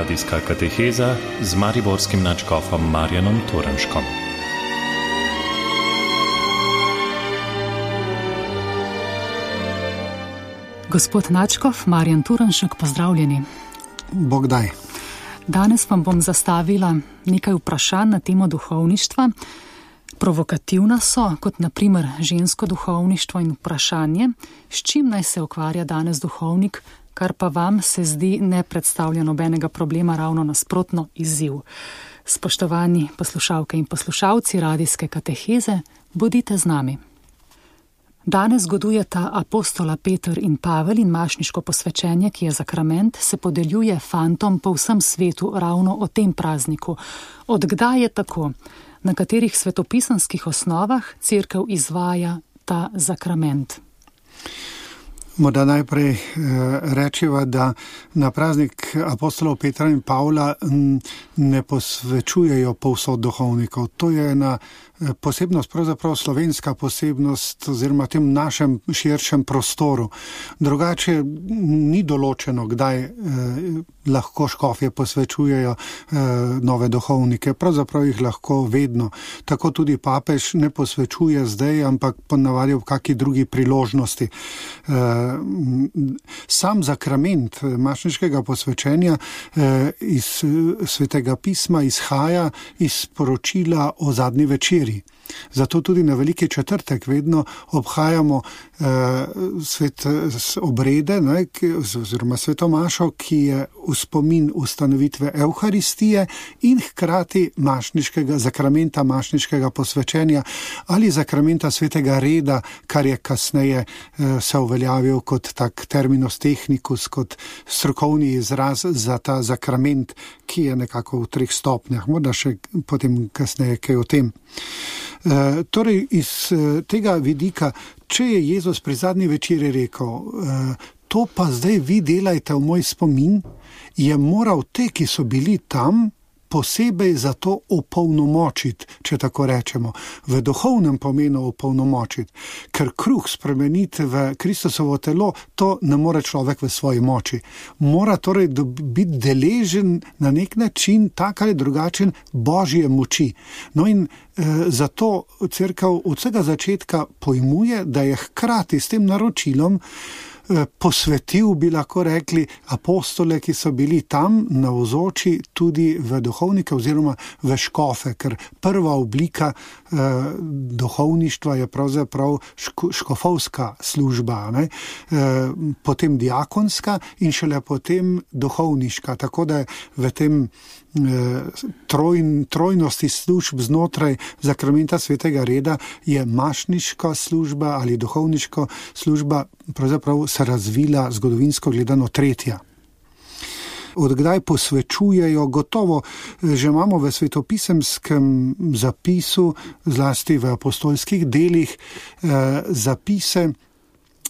Radijska kateheza z mariborskim nadškofom Marjanom Turnškom. Gospod nadškof Marjan Turnšek, pozdravljeni. Bog daj. Danes vam bom zastavila nekaj vprašanj na temo duhovništva. Provokativna so, kot na primer žensko duhovništvo in vprašanje, s čim naj se ukvarja danes duhovnik, kar pa vam se zdi ne predstavlja nobenega problema, ravno nasprotno izziv. Spoštovani poslušalke in poslušalci radijske kateheze, bodite z nami. Danes godujeta apostola Peter in Pavel in mašniško posvečenje, ki je zakrament, se podeljuje fantom po vsem svetu ravno o tem prazniku. Od kdaj je tako? Na katerih svetopisanskih osnovah cerkev izvaja ta zakrament? Morda najprej rečiva, da na praznik apostolov Petra in Pavla ne posvečujejo povsod duhovnikov. To je ena posebnost, pravzaprav slovenska posebnost oziroma tem našem širšem prostoru. Drugače ni določeno, kdaj lahko škofje posvečujejo nove duhovnike. Pravzaprav jih lahko vedno. Tako tudi papež ne posvečuje zdaj, ampak ponavadi v kaki drugi priložnosti. Sam zakrament mašniškega posvečenja iz Svetega pisma izhaja iz poročila o zadnji večeri. Zato tudi na Veliki četrtek vedno obhajamo obrede, oziroma svetomašo, ki je v spomin ustanovitve Evharistije in hkrati zakramenta mašniškega posvečenja ali zakramenta svetega reda, kar je kasneje se uveljavil kot tak terminus technicus, kot strokovni izraz za ta zakrament, ki je nekako v 3 stopnjah. Morda še potem kasneje kaj o tem. Torej, iz tega vidika, če je Jezus pri zadnji večeri rekel, to pa zdaj vi delajte v moj spomin, je moral te, ki so bili tam, posebej za to opolnomočiti, če tako rečemo, v duhovnem pomenu opolnomočiti, ker kruh spremeniti v Kristusovo telo, to ne more človek v svoji moči. Mora torej biti deležen na nek način, tak ali drugačen, Božje moči. No in zato cerkev od vsega začetka pojmuje, da je hkrati s tem naročilom posvetil, bi lahko rekli, apostole, ki so bili tam navzoči tudi v duhovnike oziroma v škofe, ker prva oblika duhovništva je pravzaprav škofovska služba, potem diakonska in šele potem duhovniška, tako da v tem trojnosti služb znotraj zakramenta svetega reda je mašniška služba ali duhovniška služba pravzaprav se razvila zgodovinsko gledano tretja. Od kdaj posvečujejo, gotovo že imamo v svetopisemskem zapisu, zlasti v apostolskih delih, zapise,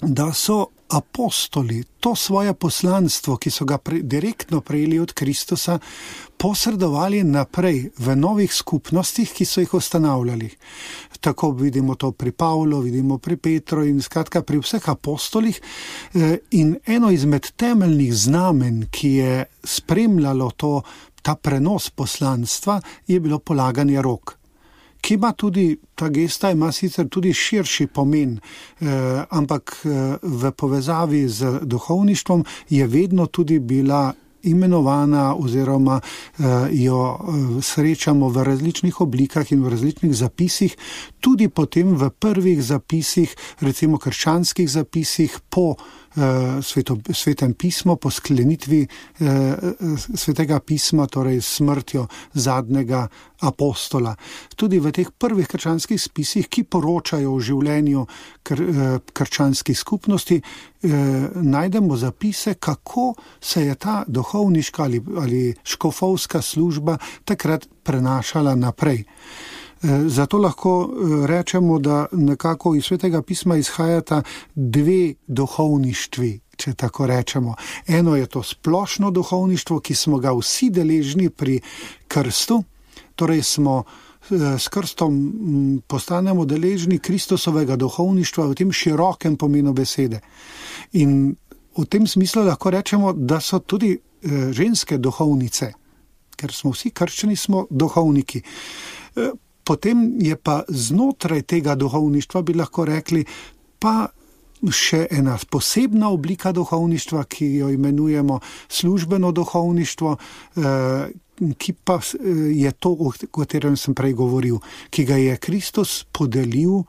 da so apostoli to svoje poslanstvo, ki so ga direktno prejeli od Kristusa, posredovali naprej v novih skupnostih, ki so jih ustanavljali. Tako vidimo to pri Pavlu, vidimo pri Petru in skratka pri vseh apostolih. In eno izmed temeljnih znamen, ki je spremljalo ta prenos poslanstva, je bilo polaganje rok. Ki ima tudi, ta gesta ima sicer tudi širši pomen, ampak v povezavi z duhovništvom je vedno tudi bila imenovana oziroma jo srečamo v različnih oblikah in v različnih zapisih, tudi potem v prvih zapisih, recimo krščanskih zapisih po svetem pismu, po sklenitvi svetega pisma, torej smrtjo zadnjega apostola. Tudi v teh prvih krščanskih spisih, ki poročajo o življenju krščanskih skupnosti, najdemo zapise, kako se je ta duhovniška ali škofovska služba takrat prenašala naprej. Zato lahko rečemo, da nekako iz svetega pisma izhajata 2 duhovništvi, če tako rečemo. Eno je to splošno duhovništvo, ki smo ga vsi deležni pri krstu, torej smo s krstom postanemo deležni Kristusovega duhovništva v tem širokem pomenu besede. In v tem smislu lahko rečemo, da so tudi ženske duhovnice, ker smo vsi krščani, smo duhovniki. Potem je pa znotraj tega duhovništva, bi lahko rekli, pa še ena posebna oblika duhovništva, ki jo imenujemo službeno duhovništvo, ki pa je to, o katerem sem prej govoril, ki ga je Kristus podelil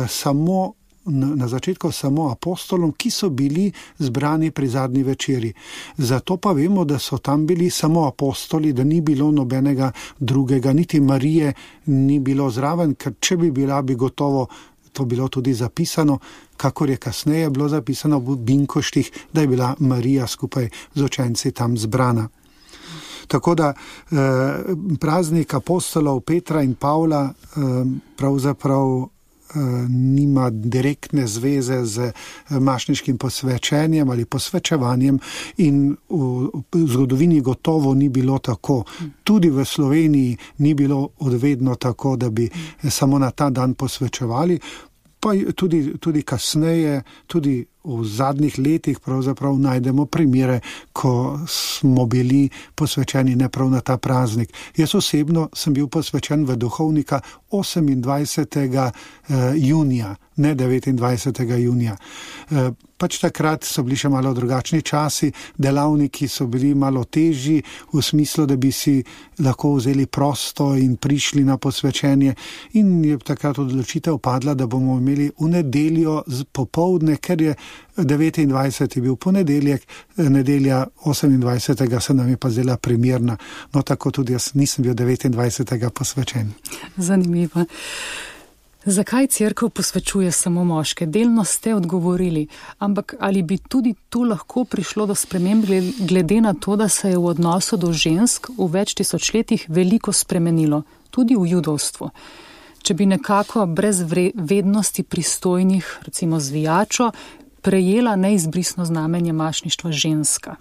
samo na začetku samo apostolom, ki so bili zbrani pri zadnji večeri. Zato pa vemo, da so tam bili samo apostoli, da ni bilo nobenega drugega, niti Marije ni bilo zraven, ker če bi bila, bi gotovo to bilo tudi zapisano, kakor je kasneje bilo zapisano v Binkoštih, da je bila Marija skupaj z učenci tam zbrana. Tako da praznik apostolov Petra in Pavla pravzaprav nima direktne zveze z mašniškim posvečenjem ali posvečevanjem in v zgodovini gotovo ni bilo tako. Tudi v Sloveniji ni bilo odvedno tako, da bi samo na ta dan posvečevali, pa tudi kasneje, tudi v zadnjih letih pravzaprav najdemo primere, ko smo bili posvečeni ne prav na ta praznik. Jaz osebno sem bil posvečen v duhovnika 28. junija, ne 29. junija. Pač takrat so bili še malo drugačni časi, delavniki so bili malo težji v smislu, da bi si lahko vzeli prosto in prišli na posvečenje, in je takrat odločitev padla, da bomo imeli v nedeljo popoldne, ker je 29. je bil ponedeljek, nedelja 28. se nam je pa zdela primerna. No, tako tudi jaz nisem bil 29. posvečen. Zanimivo. Zakaj cerkev posvečuje samo moške? Delno ste odgovorili, ampak ali bi tudi tu lahko prišlo do sprememb glede na to, da se je v odnosu do žensk v več tisočletjih veliko spremenilo, tudi v judovstvu? Če bi nekako brez vednosti pristojnih, recimo zvijačo, prejela neizbrisno znamenje mašništva ženska,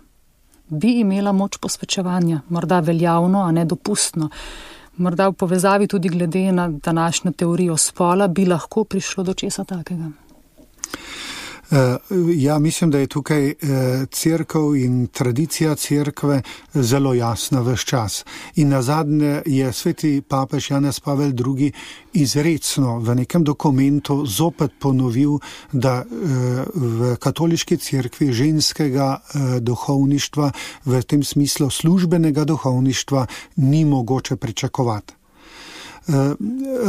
bi imela moč posvečevanja, morda veljavno, a ne dopustno. Morda v povezavi tudi glede na današnjo teorijo spola bi lahko prišlo do česa takega? Ja, mislim, da je tukaj cerkev in tradicija cerkve zelo jasna ves čas. In nazadnje je sveti papež Janez Pavel II. Izrecno v nekem dokumentu zopet ponovil, da v katoliški cerkvi ženskega duhovništva, v tem smislu službenega duhovništva, ni mogoče pričakovati.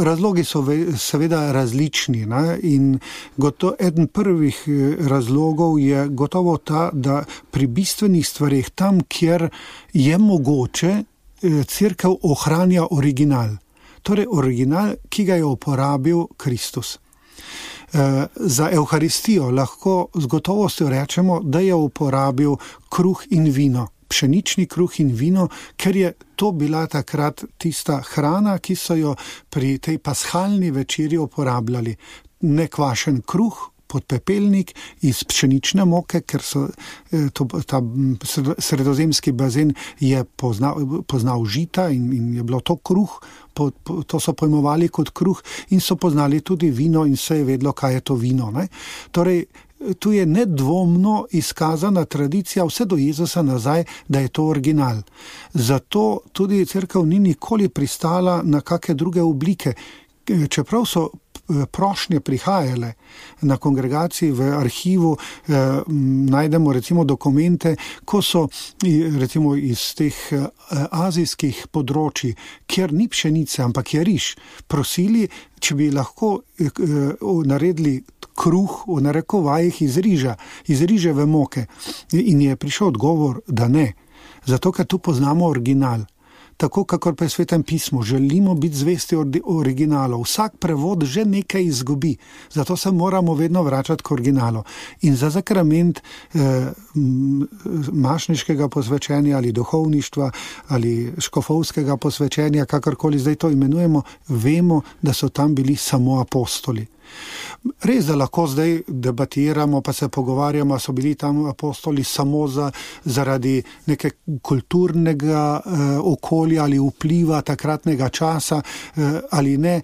Razlogi so seveda različni, ne? In eden prvih razlogov je gotovo ta, da pri bistvenih stvarih, tam, kjer je mogoče, cerkev ohranja original. Torej original, ki ga je uporabil Kristus. Za Evharistijo lahko z gotovostjo rečemo, da je uporabil kruh in vino. Pšenični kruh in vino, ker je to bila takrat tista hrana, ki so jo pri tej pashalni večeri uporabljali. Nekvašen kruh, podpepelnik iz pšenične moke, ker so ta sredozemski bazen je poznal žita in je bilo to kruh, to so pojmovali kot kruh, in so poznali tudi vino in se je vedlo, kaj je to vino. Ne? Torej, tu je nedvomno izkazana tradicija vse do Jezusa nazaj, da je to original. Zato tudi cerkev ni nikoli pristala na kakšne druge oblike. Čeprav so prošnje prihajale na kongregaciji, v arhivu najdemo recimo dokumente, ko so recimo iz teh azijskih področji, kjer ni pšenice, ampak je riž, prosili, če bi lahko naredili kruh v narekovajih iz riževe moke. In je prišel odgovor, da ne. Zato, ker tu poznamo original. Tako, kakor pa je v Svetem pismu, želimo biti zvesti originalu. Vsak prevod že nekaj izgubi, zato se moramo vedno vračati k originalu. In za sakrament mašniškega posvečenja ali duhovništva ali škofovskega posvečenja, kakorkoli zdaj to imenujemo, vemo, da so tam bili samo apostoli. Res, da lahko zdaj debatiramo, pa se pogovarjamo, so bili tam apostoli samo zaradi neke kulturnega okolja ali vpliva takratnega časa ali ne.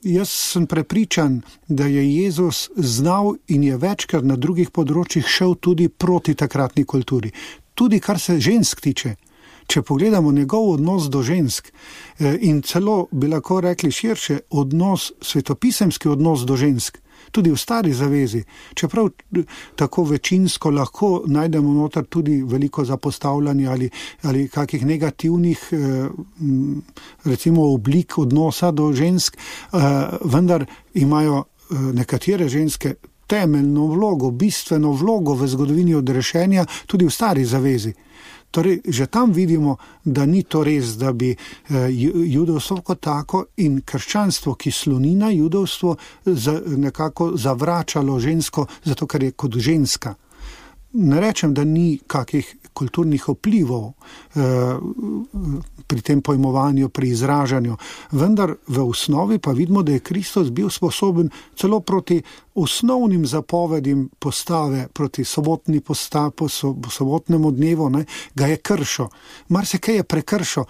Jaz sem prepričan, da je Jezus znal in je večkrat na drugih področjih šel tudi proti takratni kulturi. Tudi kar se žensk tiče. Če pogledamo njegov odnos do žensk in celo bi lahko rekli širše svetopisemski odnos do žensk, tudi v Stari zavezi, čeprav tako večinsko lahko najdemo noter tudi veliko zapostavljanja ali kakih negativnih recimo oblik odnosa do žensk, vendar imajo nekatere ženske temeljno vlogo, bistveno vlogo v zgodovini odrešenja tudi v Stari zavezi. Torej, že tam vidimo, da ni to res, da bi judovstvo kot tako in krščanstvo, ki sloni na judovstvo, nekako zavračalo žensko, zato ker je kot ženska. Ne rečem, da ni kakih kulturnih vplivov pri tem pojmovanju, pri izražanju, vendar v osnovi pa vidimo, da je Kristus bil sposoben celo proti osnovnim zapovedim postave, proti sobotnemu dnevu, ga je kršil. Marsikaj je prekršil.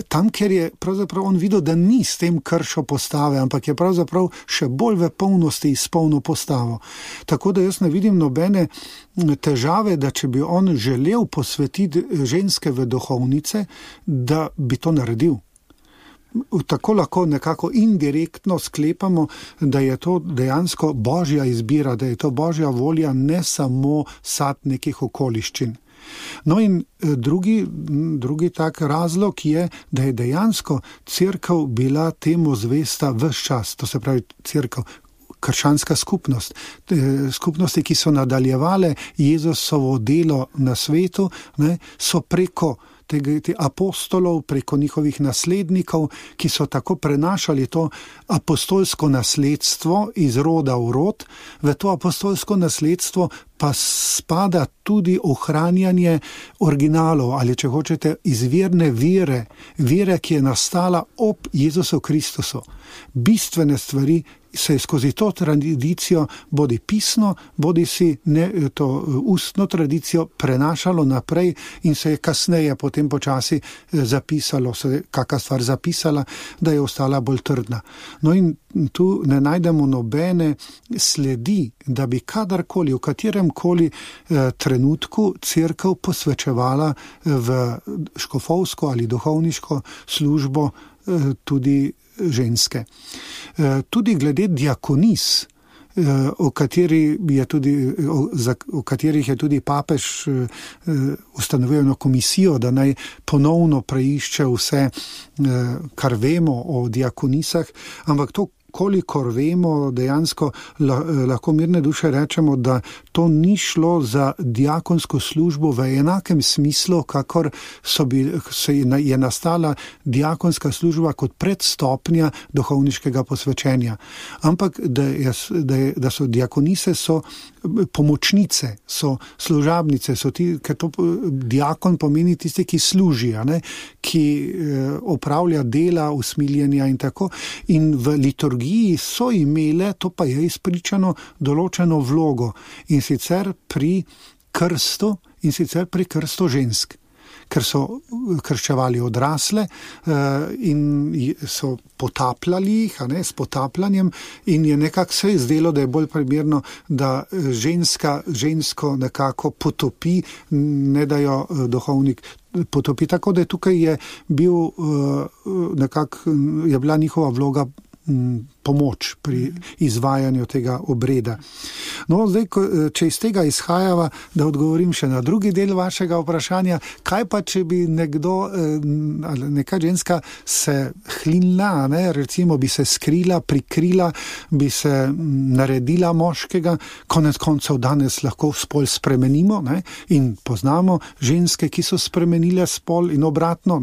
Tam, kjer je pravzaprav on videl, da ni s tem kršil postave, ampak je pravzaprav še bolj v polnosti izpolnil postavo. Tako da jaz ne vidim nobene težave, da če bi on želel posvetiti ženske v duhovnice, da bi to naredil. Tako lahko nekako indirektno sklepamo, da je to dejansko božja izbira, da je to božja volja, ne samo sad nekih okoliščin. No in drugi tak razlog je, da je dejansko cerkev bila temu zvesta ves čas, to se pravi cerkev, krščanska skupnost, skupnosti, ki so nadaljevale Jezusovo delo na svetu, so preko te apostolov, preko njihovih naslednikov, ki so tako prenašali to apostolsko nasledstvo iz roda v rod, v to apostolsko nasledstvo pa spada tudi ohranjanje originalov ali, če hočete, izvirne vere, ki je nastala ob Jezusu Kristusu. Bistvene stvari se je skozi to tradicijo, bodi pisno, bodi si to ustno tradicijo prenašalo naprej in se je kasneje potem počasi zapisalo, se je kakšna stvar zapisala, da je ostala bolj trdna. No in tu ne najdemo nobene sledi, da bi kadarkoli, v kateremkoli trenutku cerkev posvečevala v škofovsko ali duhovniško službo tudi ženske. Tudi glede diakonis, o katerih je tudi papež ustanovil eno komisijo, da naj ponovno preišče vse, kar vemo o diakonisah, ampak to, kolikor vemo, dejansko lahko mirne duše rečemo, da to ni šlo za diakonsko službo v enakem smislu, kakor je nastala diakonska služba kot predstopnja duhovniškega posvečenja. Ampak da so diakonise, so pomočnice, so služabnice, ker to diakon pomeni tisti, ki služijo, ki opravlja dela, usmiljenja in tako. In v liturgiji so imele, to pa je izpričano, določeno vlogo, in sicer pri krstu žensk, ker so krščevali odrasle in so potapljali jih, s potapljanjem, in je nekako se zdelo, da je bolj primerno, da žensko nekako potopi, ne da jo duhovnik potopi. Tako da tukaj je bila njihova vloga pomoč pri izvajanju tega obreda. No, zdaj, če iz tega izhajava, da odgovorim še na drugi del vašega vprašanja, kaj pa, če bi neka ženska se hlinila, recimo bi se skrila, prikrila, bi se naredila moškega, konec koncev danes lahko spol spremenimo, in poznamo ženske, ki so spremenile spol in obratno,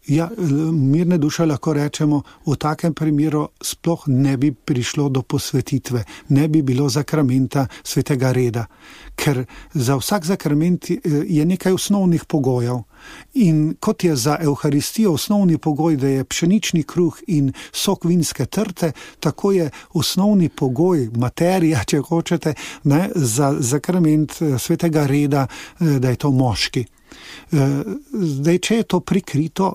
mirne duše lahko rečemo, v takem primeru sploh ne bi prišlo do posvetitve, ne bi bilo zakramenta svetega reda, ker za vsak zakrament je nekaj osnovnih pogojev. In kot je za Evharistijo osnovni pogoj, da je pšenični kruh in sok vinske trte, tako je osnovni pogoj, materija, če hočete, ne, za sakrament svetega reda, da je to moški. Zdaj, če je to prikrito,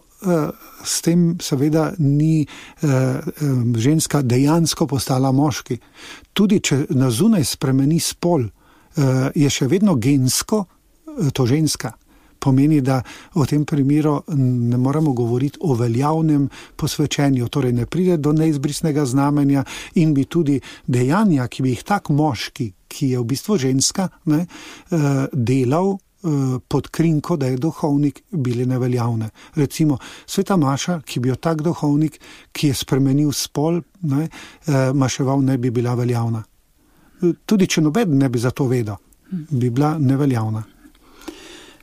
s tem seveda ni ženska dejansko postala moški. Tudi če na zunaj spremeni spol, je še vedno gensko to ženska. Pomeni, da v tem primeru ne moramo govoriti o veljavnem posvečenju, torej ne pride do neizbrisnega znamenja in bi tudi dejanja, ki bi jih tak moški, ki je v bistvu ženska, ne, delal pod krinko, da je duhovnik, bili neveljavne. Recimo, sveta maša, ki bi jo tak duhovnik, ki je spremenil spol, ne, maševal, ne bi bila veljavna. Tudi če noben ne bi za to vedel, bi bila neveljavna.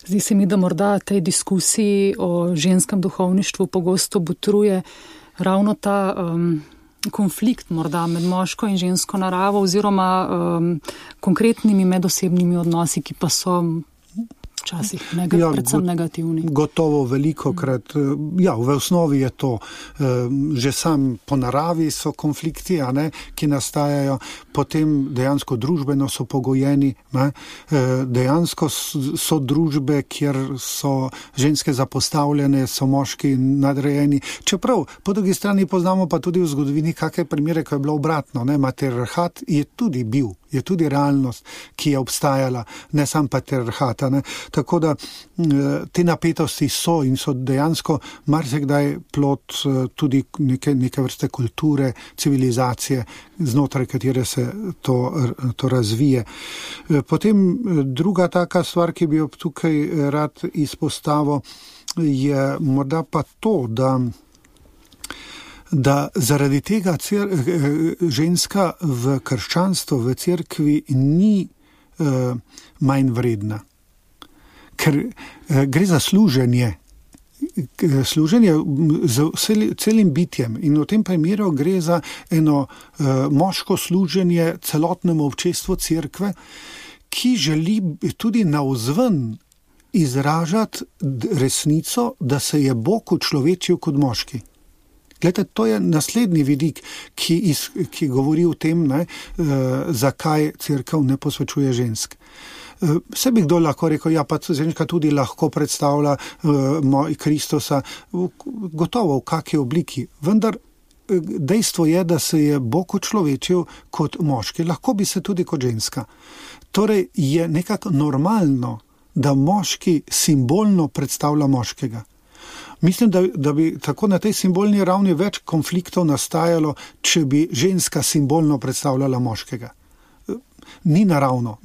Zdi se mi, da morda tej diskusiji o ženskem duhovništvu pogosto botruje ravno ta konflikt morda med moško in žensko naravo oziroma konkretnimi medosebnimi odnosi, ki pa so včasih predvsem negativni. Gotovo velikokrat, v osnovi je to, že sam po naravi so konflikti, ki nastajajo, potem dejansko družbeno so pogojeni, dejansko so družbe, kjer so ženske zapostavljene, so moški nadrejeni. Čeprav, po drugi strani poznamo pa tudi v zgodovini kakšne primere, ko je bilo obratno, matriarhat je tudi bil, je tudi realnost, ki je obstajala, ne sam patriarhata. Tako da te napetosti so in so dejansko marsikdaj plod tudi neke vrste kulture, civilizacije, znotraj katere se to razvije. Potem druga taka stvar, ki bi jo tukaj rad izpostavil, je morda pa to, da zaradi tega ženska v krščanstvu, v cerkvi ni manj vredna. Ker gre za služenje z celim bitjem in v tem primeru gre za eno moško služenje celotnemu občestvu cerkve, ki želi tudi navzven izražati resnico, da se je Bog učlovečil kot moški. Glede, to je naslednji vidik, ki govori o tem, zakaj cerkev ne posvečuje žensk. Vse bi kdo lahko rekel, pa ženska tudi lahko predstavlja Kristusa, gotovo v kakšni obliki, vendar dejstvo je, da se je Bog učlovečil kot moški, lahko bi se tudi kot ženska. Torej je nekako normalno, da moški simbolno predstavlja moškega. Mislim, da bi tako na tej simbolni ravni več konfliktov nastajalo, če bi ženska simbolno predstavljala moškega. Ni naravno,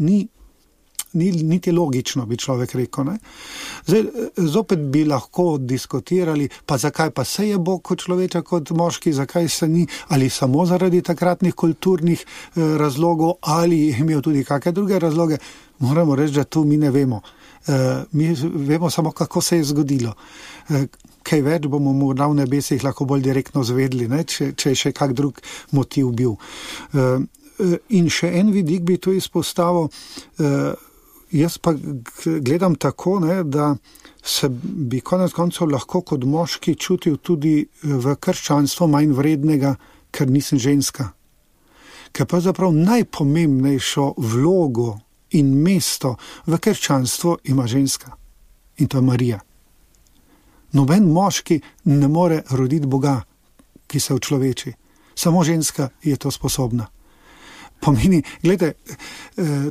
niti logično, bi človek rekel. Zdaj, zopet bi lahko diskutirali, pa zakaj pa se je Bog kot človeča kot moški, zakaj se ni, ali samo zaradi takratnih kulturnih razlogov, ali je imel tudi kakšne druge razloge. Moramo reči, da tu mi ne vemo. Mi vemo samo, kako se je zgodilo. Kaj več bomo morda v nebesih lahko bolj direktno zvedli, če je še kak drug motiv bil. In še en vidik bi tu izpostavil, jaz pa gledam tako, da se bi konec koncev lahko kot moški čutil tudi v krščanstvu manj vrednega, ker nisem ženska. Ker pravzaprav najpomembnejšo vlogo in mesto v krščanstvu ima ženska. In to je Marija. Noben moški ne more roditi Boga, ki se učloveči. Samo ženska je to sposobna. Pomeni, gledajte,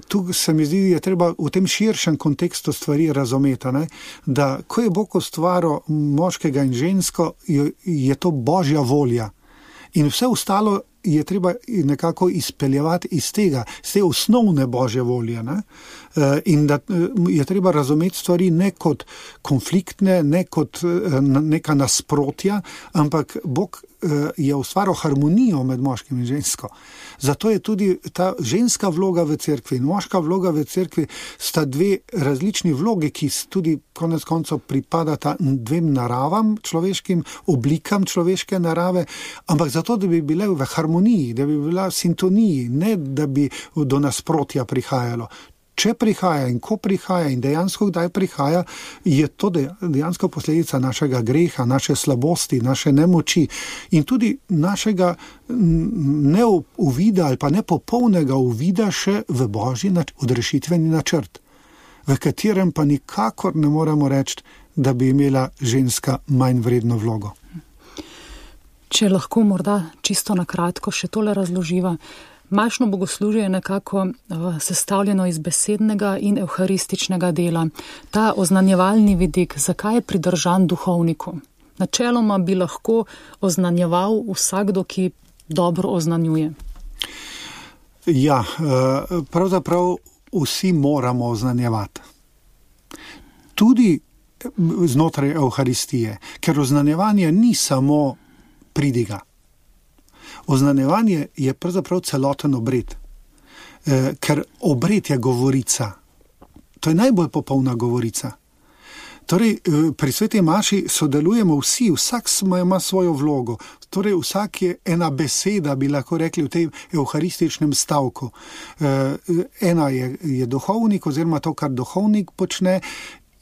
tu se mi zdi, je treba v tem širšem kontekstu stvari razumeti, da ko je Bog ustvaril moškega in žensko, je to Božja volja. In vse ostalo je treba nekako izpeljevati iz tega, z te osnovne Božje volje. In da je treba razumeti stvari ne kot konfliktne, ne kot neka nasprotja, ampak Bog je ustvaril harmonijo med moškim in žensko. Zato je tudi ta ženska vloga v cerkvi in moška vloga v cerkvi sta dve različni vlogi, ki tudi konec koncev pripadata dvem naravam človeškim, oblikam človeške narave, ampak zato, da bi bile v harmoniji, da bi bila v sintoniji, ne da bi do nasprotja prihajalo. Če prihaja in ko prihaja in dejansko kdaj prihaja, je to dejansko posledica našega greha, naše slabosti, naše nemoči in tudi našega neuvida ali pa nepopolnega uvida še v Božji odrešitveni načrt, v katerem pa nikakor ne moremo reči, da bi imela ženska manj vredno vlogo. Če lahko morda čisto na kratko še tole razloživa. Mašno bogoslužje je nekako sestavljeno iz besednega in evharističnega dela. Ta oznanjevalni vidik, zakaj je pridržan duhovniku? Načeloma bi lahko oznanjeval vsakdo, ki dobro oznanjuje. Ja, pravzaprav vsi moramo oznanjevati. Tudi znotraj evharistije, ker oznanjevanje ni samo pridiga. Oznanjevanje je pravzaprav celoten obred, ker obred je govorica. To je najbolj popolna govorica. Torej, pri sveti maši sodelujemo vsi, vsak ima svojo vlogo. Torej, vsak je ena beseda, bi lahko rekli v tej evharističnem stavku. Ena je duhovnik oziroma to, kar duhovnik počne,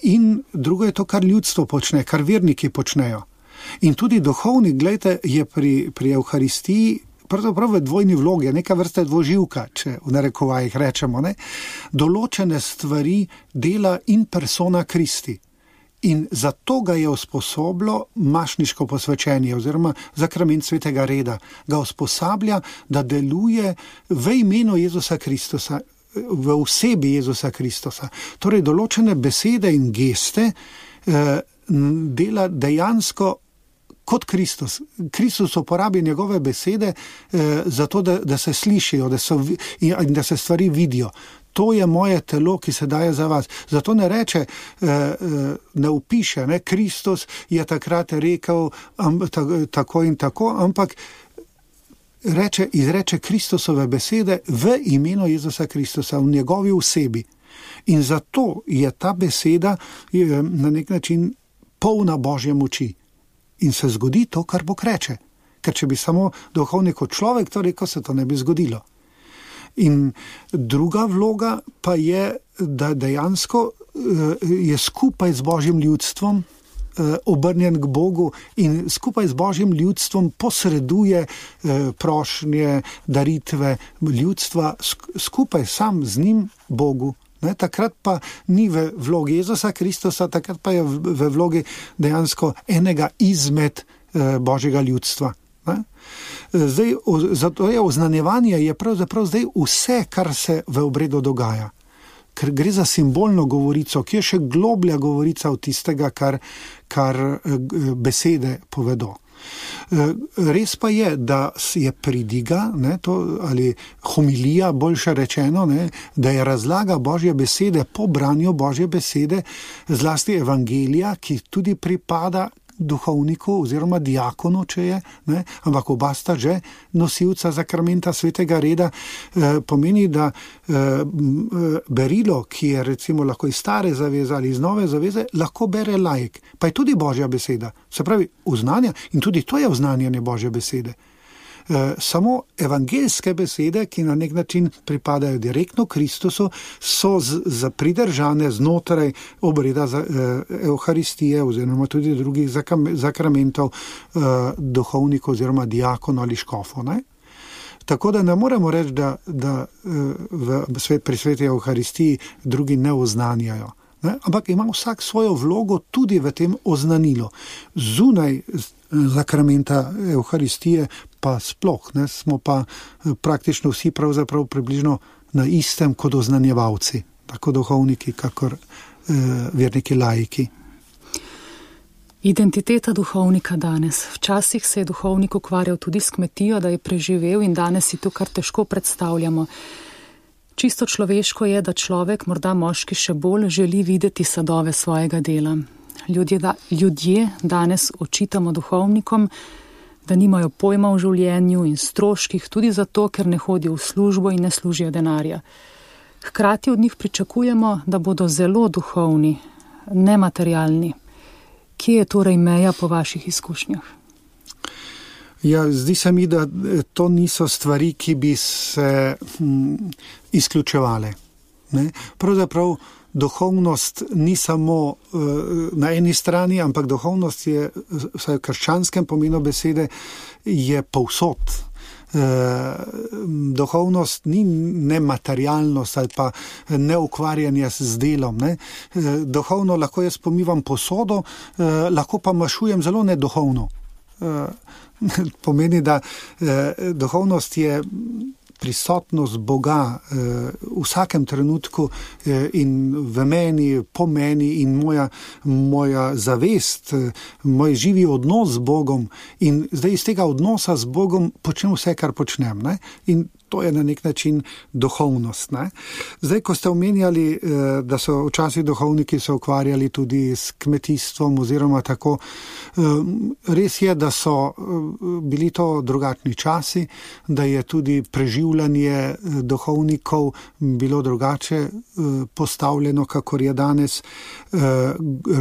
in drugo je to, kar ljudstvo počne, kar verniki počnejo. In tudi duhovnik, gledajte, je pri evharistiji pravzaprav v dvojni vlogi, neka vrsta dvoživka, če v narekovajih rečemo, ne? Določene stvari dela in persona Kristi. In zato ga je usposobilo mašniško posvečenje oziroma zakrament svetega reda. Ga usposablja, da deluje v imenu Jezusa Kristusa, v osebi Jezusa Kristusa. Torej, določene besede in geste dela dejansko kot Kristus. Kristus uporabi njegove besede zato, da se slišijo in da se stvari vidijo. To je moje telo, ki se daje za vas. Zato ne reče, ne upiše, ne, Kristus je takrat rekel tako in tako, ampak izreče Kristusove besede v imenu Jezusa Kristusa, v njegovi osebi. In zato je ta beseda na nek način polna Božje moči. In se zgodi to, kar Bog reče. Ker če bi samo duhovnik kot človek to rekel, se to ne bi zgodilo. In druga vloga pa je, da dejansko je skupaj z Božjim ljudstvom obrnjen k Bogu in skupaj z Božjim ljudstvom posreduje prošnje, daritve ljudstva, skupaj sam z njim Bogu. Ne, takrat pa ni v vlogi Jezusa Kristusa, takrat pa je v vlogi dejansko enega izmed Božjega ljudstva. Ne. Zdaj, zato je oznanjevanje je pravzaprav zdaj vse, kar se v obredu dogaja. Ker gre za simbolno govorico, ki je še globlja govorica od tistega, kar besede povedo. Res pa je, da je pridiga, ne, to, ali homilija, boljše rečeno, ne, da je razlaga Božje besede po branju Božje besede, zlasti evangelija, ki tudi pripada duhovniku oziroma diakonu, če je, ne, ampak oba sta že nosilca zakramenta svetega reda, pomeni, da berilo, ki je recimo lahko iz stare zaveze ali iz nove zaveze, lahko bere laik, pa je tudi Božja beseda. Se pravi, oznanja, in tudi to je oznanjanje Božje besede. Samo evangeljske besede, ki na nek način pripadajo direktno Kristusu, so pridržane znotraj obreda evharistije oziroma tudi drugih zakramentov duhovnikov oziroma diakonov ali škofov. Ne? Tako da ne moremo reči, da pri sveti evharistiji drugi ne oznanjajo. Ne? Ampak ima vsak svojo vlogo tudi v tem oznanilu. Zunaj zakramenta evharistije pa sploh, ne? Smo pa praktično vsi pravzaprav približno na istem kot oznanjevalci, tako duhovniki, kakor verniki laiki. Identiteta duhovnika danes. Včasih se je duhovnik ukvarjal tudi s kmetijo, da je preživel in danes si to kar težko predstavljamo. Čisto človeško je, da človek, morda moški še bolj, želi videti sadove svojega dela. Ljudje danes očitamo duhovnikom, da nimajo pojma v življenju in stroških, tudi zato, ker ne hodijo v službo in ne služijo denarja. Hkrati od njih pričakujemo, da bodo zelo duhovni, nematerialni. Kje je torej meja po vaših izkušnjah? Ja, zdi se mi, da to niso stvari, ki bi se izključevale. Ne? Pravzaprav duhovnost ni samo na eni strani, ampak duhovnost je, vsaj v krščanskem pomenu besede, je povsod. Duhovnost ni nematerialnost ali pa neukvarjanje z delom. Ne? Duhovno lahko jaz pomivam posodo, lahko pa mašujem zelo neduhovno. Pomeni, da duhovnost je prisotnost Boga v vsakem trenutku in v meni, po meni in moja zavest, moj živi odnos z Bogom in zdaj iz tega odnosa z Bogom počnem vse, kar počnem. Ne? In to je na nek način duhovnost. Ne? Zdaj, ko ste omenjali, da so včasih duhovniki se ukvarjali tudi s kmetijstvom oziroma tako, res je, da so bili to drugačni časi, da je tudi preživljanje duhovnikov bilo drugače postavljeno, kakor je danes.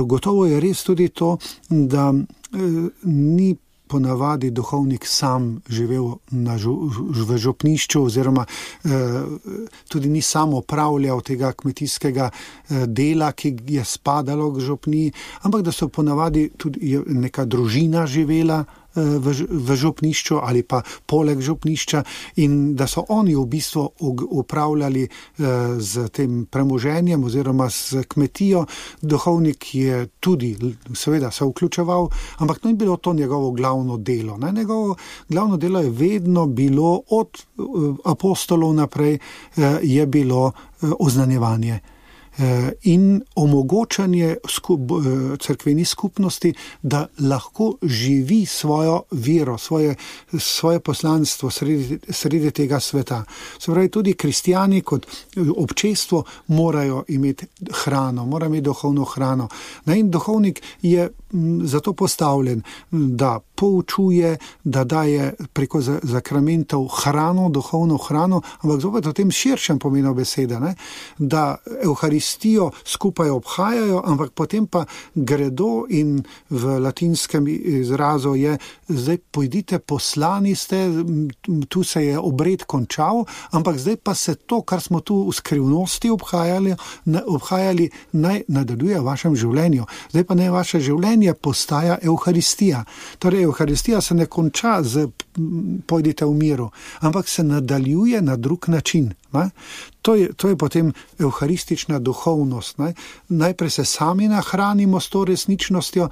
Gotovo je res tudi to, da ni ponavadi duhovnik sam živel v župnišču oziroma tudi ni sam opravljal tega kmetijskega dela, ki je spadalo k župniji, ampak da so ponavadi tudi neka družina živela v župnišču ali pa poleg župnišča in da so oni v bistvu upravljali z tem premoženjem oziroma z kmetijo. Duhovnik je tudi seveda se vključeval, ampak to ni bilo to njegovo glavno delo. Ne? Njegovo glavno delo je vedno bilo od apostolov naprej je bilo oznanjevanje in omogočanje cerkveni skupnosti, da lahko živi svojo vero, svoje poslanstvo sredi tega sveta. Se pravi, tudi kristjani kot občestvo morajo imeti hrano, morajo imeti duhovno hrano. In duhovnik je zato postavljen, da poučuje, da daje preko zakramentov hrano, duhovno hrano, ampak zopet v tem širšem pomenu besede, ne? Da Evharistijo skupaj obhajajo, ampak potem pa gredo in v latinskem izrazu je, zdaj pojdite, poslani ste, tu se je obred končal, ampak zdaj pa se to, kar smo tu v skrivnosti obhajali, naj nadaljuje v vašem življenju. Zdaj pa naj vaše življenje postaja Evharistija. Torej, Evharistija se ne konča z pojdite v miru, ampak se nadaljuje na drug način. Ne? To je potem evharistična duhovnost. Ne? Najprej se sami nahranimo s to resničnostjo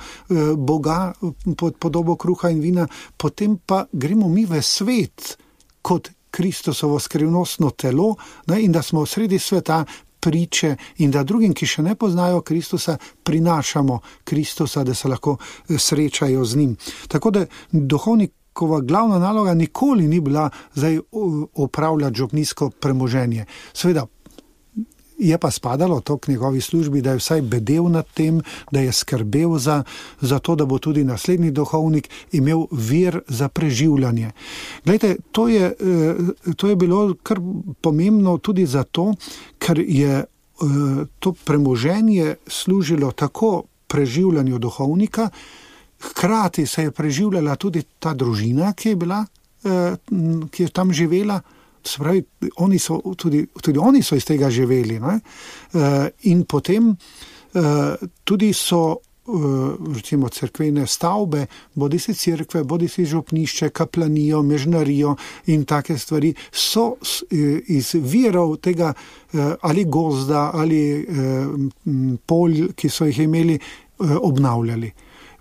Boga pod podobo kruha in vina, potem pa gremo mi v svet kot Kristusovo skrivnostno telo, ne? In da smo sredi sveta priče in da drugim, ki še ne poznajo Kristusa, prinašamo Kristusa, da se lahko srečajo z njim. Tako da duhovnikova glavna naloga nikoli ni bila zdaj opravljati župnijsko premoženje. Seveda je pa spadalo to k njegovi službi, da je vsaj bedel nad tem, da je skrbel za to, da bo tudi naslednji duhovnik imel vir za preživljanje. Glejte, to je bilo kar pomembno tudi zato, ker je to premoženje služilo tako preživljanju duhovnika, hkrati se je preživljala tudi ta družina, ki je tam živela. Se pravi, tudi oni so iz tega živeli. Ne? In potem tudi so recimo cerkvene stavbe, bodisi cerkve, bodisi župnišče, kaplanijo, mežnarijo in take stvari, so iz virov tega ali gozda ali polj, ki so jih imeli, obnavljali.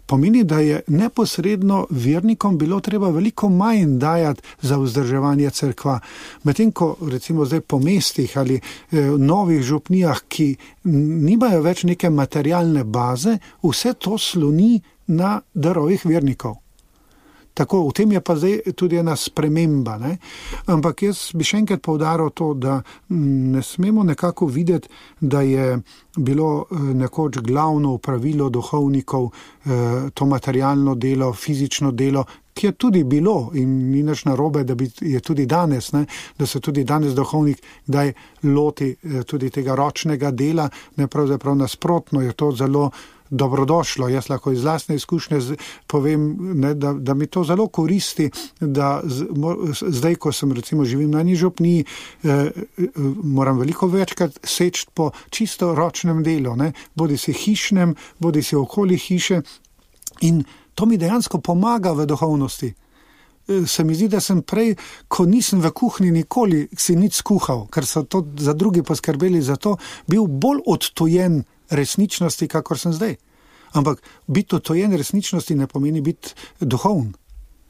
Pomeni, da je neposredno vernikom bilo treba veliko manj dajati za vzdrževanje cerkva. Medtem ko recimo zdaj po mestih ali novih župnijah, ki nimajo več neke materialne baze, vse to sloni na darovih vernikov. Tako, v tem je pa zdaj tudi ena sprememba. Ne? Ampak jaz bi še enkrat poudaril to, da ne smemo nekako videti, da je bilo nekoč glavno opravilo duhovnikov to materialno delo, fizično delo, ki je tudi bilo in ni nič narobe, da je tudi danes, ne, da se tudi danes duhovnik kdaj loti tudi tega ročnega dela, ne pravzaprav nasprotno, je to zelo dobrodošlo. Jaz lahko iz lastne izkušnje povem, ne, da mi to zelo koristi, da zdaj, ko sem recimo živim na eni župniji, moram veliko večkrat seči po čisto ročnem delu, ne, bodi si hišnem, bodi si okoli hiše, in to mi dejansko pomaga v duhovnosti. Se mi zdi, da sem prej, ko nisem v kuhinji nikoli si nič skuhal, ker so to za drugi poskrbeli za to, bil bolj odtojen resničnosti, kakor sem zdaj. Ampak biti odtojen resničnosti ne pomeni biti duhovn.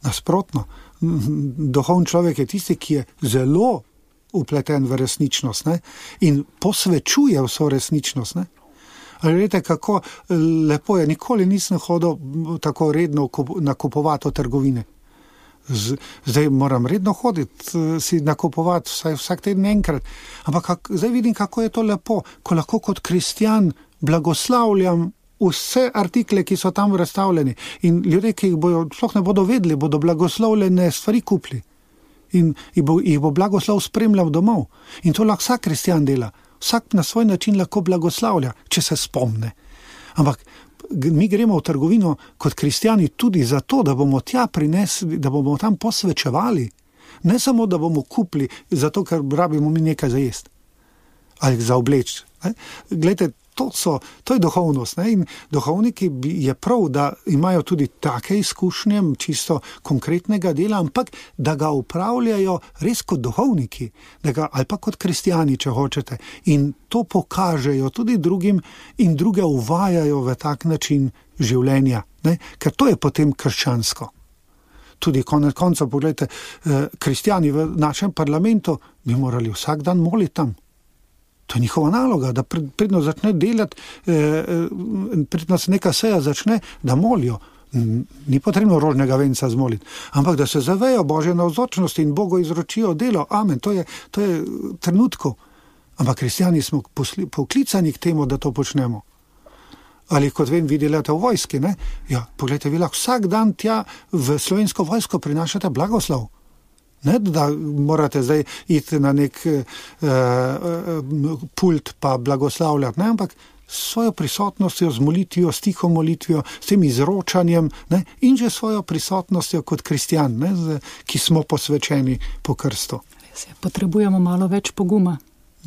Nasprotno. Duhovn človek je tisti, ki je zelo upleten v resničnost, ne? In posvečuje vso resničnost. Ne? Ali veste, kako lepo je, nikoli nisem hodil tako redno nakupovati v trgovine. Zdaj moram redno hoditi, si nakupovati vsak teden enkrat. Ampak zdaj vidim, kako je to lepo, ko lahko kot kristjan blagoslavljam vse artikle, ki so tam razstavljeni. In ljudje, ki jih sploh ne bodo vedeli, bodo blagoslavljene stvari kupili. In jih bo blagoslov spremljal domov. In to lahko vsak kristjan dela. Vsak na svoj način lahko blagoslavlja, če se spomne. Ampak mi gremo v trgovino kot kristjani tudi zato, da bomo tja prinesli, da bomo tam posvečevali. Ne samo, da bomo kupili, zato ker rabimo mi nekaj za jesti ali za obleči. Glejte, to je duhovnost. Ne? In duhovniki je prav, da imajo tudi take izkušnje, čisto konkretnega dela, ampak da ga upravljajo res kot duhovniki, ali pa kot kristjani, če hočete. In to pokažejo tudi drugim in druge uvajajo v tak način življenja. Ne? Ker to je potem krščansko. Tudi konec koncev, pogledajte, kristjani v našem parlamentu bi morali vsak dan moliti tam. To je njihova naloga, da predno začne delati, predno se neka seja začne, da molijo. Ni potrebno rožnega venca zmoliti, ampak da se zavejo Božje navzočnosti in Bogu izročijo delo. Amen, to je trenutku. Ampak kristjani smo poklicani k temu, da to počnemo. Ali kot vem, vi delate v vojski, ne? Ja, pogledajte, vi lahko vsak dan tja v slovensko vojsko prinašate blagoslov. Ne, da morate zdaj iti na nek pult pa blagoslavljati, ne, ampak svojo prisotnostjo, z molitvijo, s tiho molitvijo, s tem izročanjem, ne, in že svojo prisotnostjo kot kristjan, ne, ki smo posvečeni po krstu. Res je, potrebujemo malo več poguma.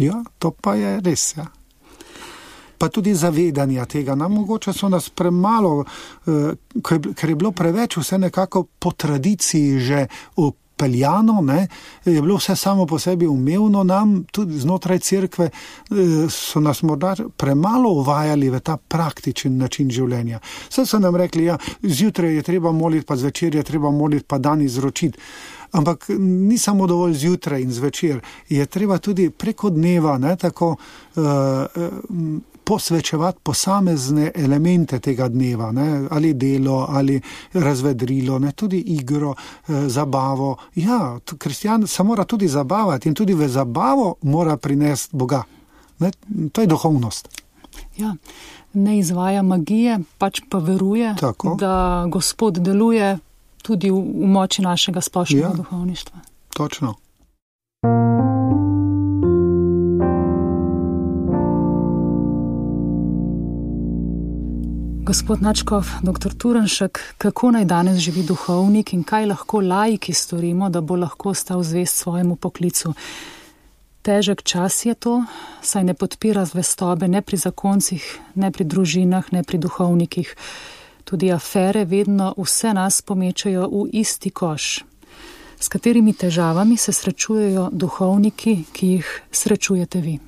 Ja, to pa je res, ja. Pa tudi zavedanja tega. Mogoče so nas premalo, ker je bilo preveč vse nekako po tradiciji že peljano, ne, je bilo vse samo po sebi umevno nam, tudi znotraj cerkve so nas morda premalo uvajali v ta praktičen način življenja. Vse so nam rekli, ja, zjutraj je treba moliti, pa zvečer je treba moliti, pa dan izročiti. Ampak ni samo dovolj zjutraj in zvečer, je treba tudi preko dneva, ne, tako posvečevati posamezne elemente tega dneva, ne, ali delo, ali razvedrilo, ne, tudi igro, zabavo. Ja, kristjan se mora tudi zabavati in tudi v zabavo mora prinesti Boga. Ne, to je duhovnost. Ja, ne izvaja magije, pač pa veruje, tako, da Gospod deluje tudi v moči našega splošnega duhovništva. Točno. Gospod Nadškof, dr. Turnšek, kako naj danes živi duhovnik in kaj lahko laiki storimo, da bo lahko ostal zvest svojemu poklicu? Težek čas je to, saj ne podpira zvestobe ne pri zakoncih, ne pri družinah, ne pri duhovnikih. Tudi afere vedno vse nas pomečajo v isti koš. S katerimi težavami se srečujejo duhovniki, ki jih srečujete vi?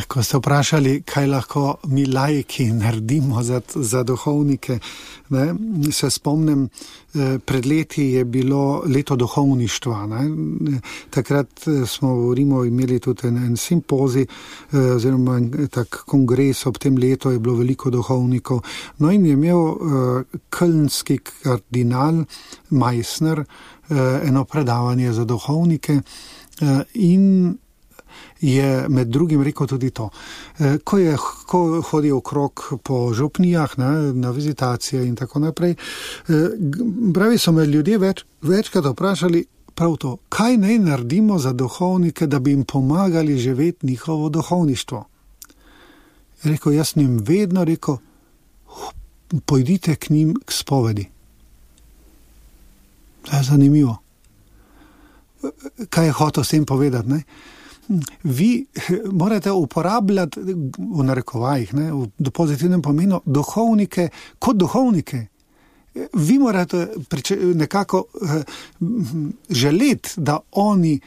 Ko ste vprašali, kaj lahko mi laiki naredimo za duhovnike, ne, se spomnim, pred leti je bilo leto duhovništva. Ne. Takrat smo v Rimu imeli tudi en simpozij, oziroma tak kongres, ob tem letu je bilo veliko duhovnikov. No in je imel kölnski kardinal Meissner eno predavanje za duhovnike in je med drugim rekel tudi to. Ko hodi okrog po župnijah, na vizitacije in tako naprej, pravi, so me ljudje večkrat vprašali prav to, kaj naj naredimo za duhovnike, da bi jim pomagali živeti njihovo duhovništvo. Rekel, jaz njim vedno rekel, pojdite k njim k spovedi. To je zanimivo. Kaj je hotel s tem povedati, ne? Vi morate uporabljati, v narekovajih, v pozitivnem pomenu, duhovnike kot duhovnike. Vi morate nekako želeti, da oni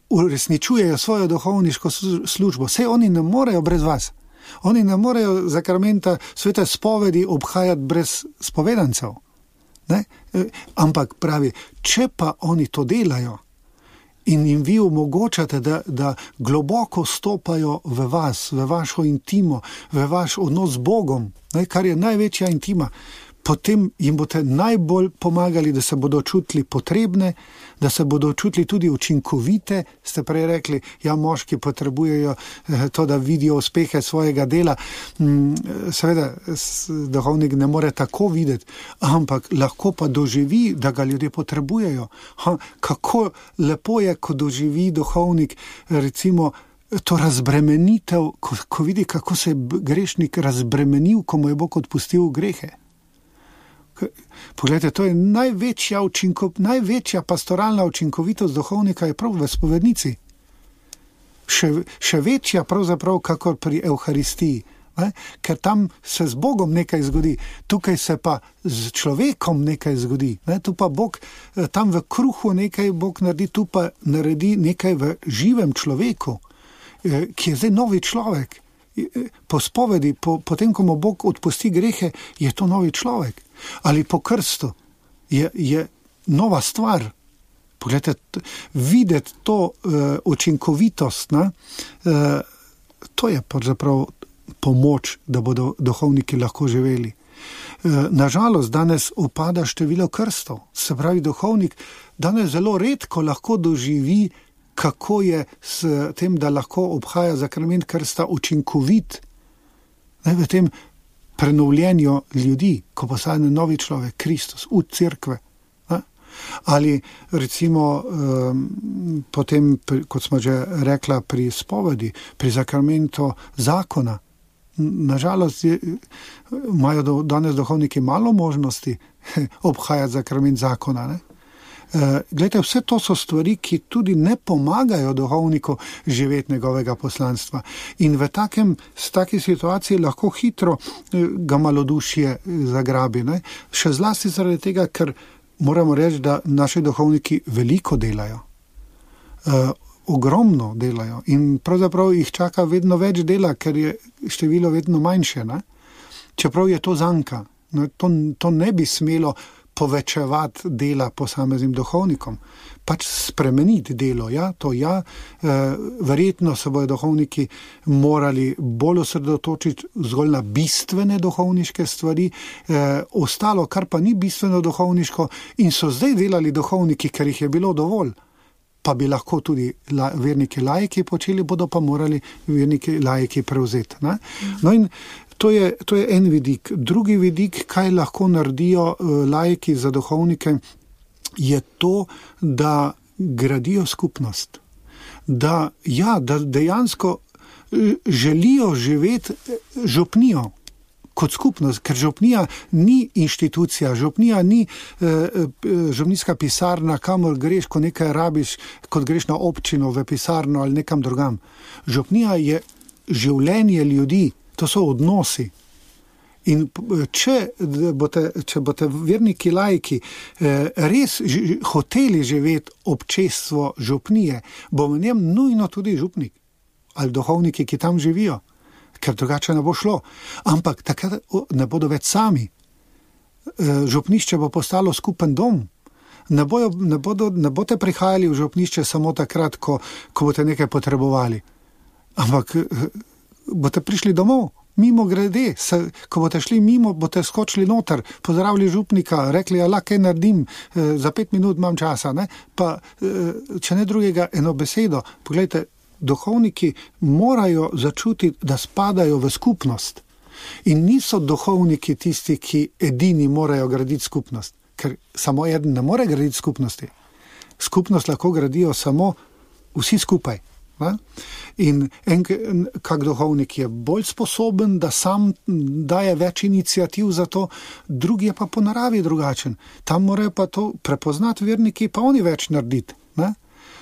uresničujejo svojo duhovniško službo. Saj oni ne morejo brez vas. Oni ne morejo zakramenta svete spovedi obhajati brez spovedancev. Ne? Ampak pravi, če pa oni to delajo in jim vi omogočate, da globoko stopajo v vas, v vašo intimo, v vaš odnos z Bogom, ne, kar je največja intima, potem jim boste najbolj pomagali, da se bodo čutili potrebne, da se bodo čutili tudi učinkovite. Ste prej rekli, ja, moški potrebujejo to, da vidijo uspehe svojega dela. Seveda, duhovnik ne more tako videti, ampak lahko pa doživi, da ga ljudje potrebujejo. Kako lepo je, ko doživi duhovnik, recimo, to razbremenitev, ko vidi, kako se je grešnik razbremenil, ko mu je Bog odpustil grehe. Poglejte, to je največja pastoralna učinkovitost duhovnika je prav v spovednici. Še večja pravzaprav kakor pri Evharistiji, ker tam se z Bogom nekaj zgodi, tukaj se pa z človekom nekaj zgodi. Tu pa Bog, tam v kruhu nekaj Bog naredi, tu pa naredi nekaj v živem človeku, ki je zdaj novi človek. Po spovedi, potem, ko mu Bog odpusti grehe, je to novi človek. Ali po krstu je nova stvar. Poglejte, videti to učinkovitost, to je pravzaprav pomoč, da bodo duhovniki lahko živeli. Nažalost, danes upada število krstov. Se pravi, duhovnik danes zelo redko lahko doživi, kako je s tem, da lahko obhaja zakrament krsta učinkovit v tem prenovljenju ljudi, ko postane novi človek, Kristus, v cerkve. Ali recimo potem, kot smo že rekla, pri spovedi, pri zakramentu zakona. Nažalost imajo danes duhovniki malo možnosti obhajati zakrament zakona, ne? Glejte, vse to so stvari, ki tudi ne pomagajo duhovniku živeti njegovega poslanstva. In v taki situaciji lahko hitro ga malodušje zagrabi. Ne? Še zlasti zaradi tega, ker moramo reči, da naši duhovniki veliko delajo. Ogromno delajo. In pravzaprav jih čaka vedno več dela, ker je število vedno manjše. Ne? Čeprav je to zanka. To ne bi smelo povečevati dela posameznim duhovnikom, pač spremeniti delo, verjetno se bodo duhovniki morali bolj osredotočiti zgolj na bistvene duhovniške stvari, ostalo, kar pa ni bistveno duhovniško in so zdaj delali duhovniki, ker jih je bilo dovolj, pa bi lahko tudi verniki laiki počeli, bodo pa morali verniki laiki prevzeti. Ne? No in to je en vidik. Drugi vidik, kaj lahko naredijo laiki za duhovnike, je to, da gradijo skupnost. Da dejansko želijo živeti župnijo kot skupnost, ker župnija ni inštitucija, župnija ni župnijska pisarna, kamor greš, ko nekaj rabiš, kot greš na občino, v pisarno ali nekam drugam. Župnija je življenje ljudi, to so odnosi. In če boste verniki laiki res hoteli živeti občestvo župnije, bo v njem nujno tudi župnik ali duhovniki, ki tam živijo, ker drugače ne bo šlo. Ampak takrat ne bodo več sami. Župnišče bo postalo skupen dom. Ne boste prihajali v župnišče samo takrat, ko boste nekaj potrebovali. Ampak boste prišli domov, mimo grede, ko boste šli mimo, boste skočili noter, pozdravili župnika, rekli, kaj naredim, za 5 minut imam časa, ne? Pa če ne drugega, eno besedo. Poglejte, duhovniki morajo začutiti, da spadajo v skupnost. In niso duhovniki tisti, ki edini morajo graditi skupnost. Ker samo eden ne more graditi skupnosti. Skupnost lahko gradijo samo vsi skupaj. Ne? In kak duhovnik je bolj sposoben, da sam daje več iniciativ za to, drugi je pa po naravi drugačen. Tam morajo pa to prepoznati verniki, pa oni več narediti. Ne?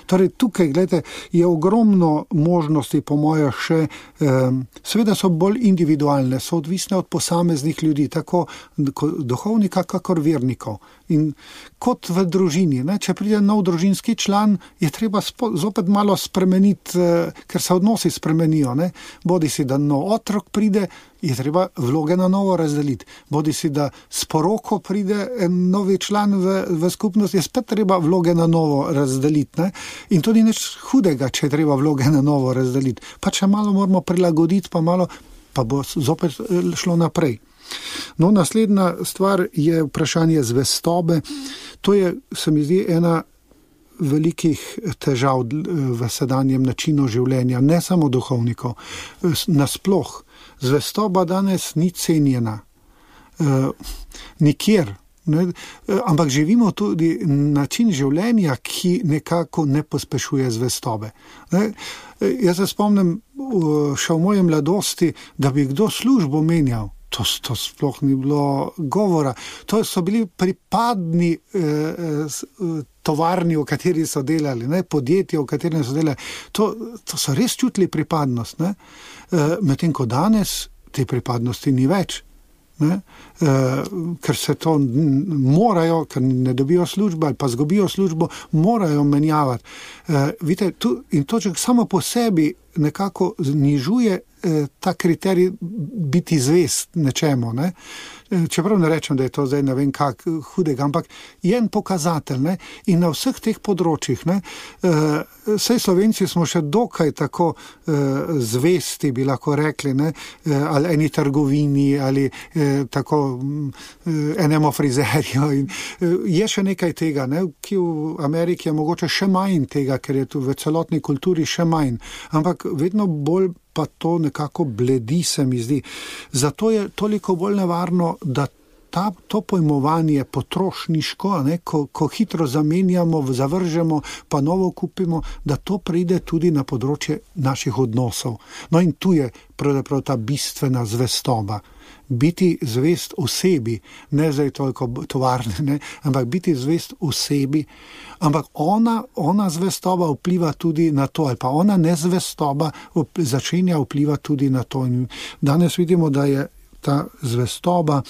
Torej, tukaj, gledajte, je ogromno možnosti, po moje še, seveda so bolj individualne, so odvisne od posameznih ljudi, tako duhovnika, kakor vernikov. In kot v družini, ne? Če pride nov družinski član, je treba zopet malo spremeniti, ker se odnosi spremenijo. Ne? Bodi si, da nov otrok pride, je treba vloge na novo razdeliti. Bodi si, da s poroko pride en novi član v skupnost, je spet treba vloge na novo razdeliti. Ne? In to ni nič hudega, če je treba vloge na novo razdeliti. Pa če malo moramo prilagoditi, pa bo zopet šlo naprej. No, naslednja stvar je vprašanje zvestobe. To je, se mi zdi, ena velikih težav v sedanjem načinu življenja, ne samo duhovnikov, nasploh. Zvestoba danes ni cenjena. Nikjer. Ne? Ampak živimo tudi način življenja, ki nekako ne pospešuje zvestobe. Ne? Jaz se spomnim še v moje mladosti, da bi kdo službo menjal. To sploh ni bilo govora. To so bili pripadni tovarni, v kateri so delali, ne? Podjetja, v kateri so delali. To so res čutili pripadnost. Ne? Medtem ko danes te pripadnosti ni več. Ne? Ker se to morajo, ker ne dobijo službo ali pa zgubijo službo, morajo menjavati. Vidite, in to samo po sebi nekako znižuje ta kriterij biti zvest nečemu. Ne? Čeprav ne rečem, da je to zdaj ne vem kak hudega, ampak je en pokazatelj. Ne? In na vseh teh področjih, ne? Saj Slovenci smo še dokaj tako zvesti, bi lahko rekli, ne? Ali eni trgovini, ali tako enemu frizerju. In je še nekaj tega, ne? Ki v Ameriki je mogoče še manj tega, ker je tu v celotni kulturi še manj. Ampak vedno bolj pa to nekako bledi, se mi zdi. Zato je toliko bolj nevarno, da to pojmovanje potrošniško, ne, ko hitro zamenjamo, zavržemo, pa novo kupimo, da to pride tudi na področje naših odnosov. No in tu je pravzaprav ta bistvena zvestoba. Biti zvest osebi, ne zdaj toliko tovarne, ne, ampak biti zvest osebi, ampak ona zvestoba vpliva tudi na to, ali pa ona nezvestoba začenja vpliva tudi na to. In danes vidimo, da je ta zvestoba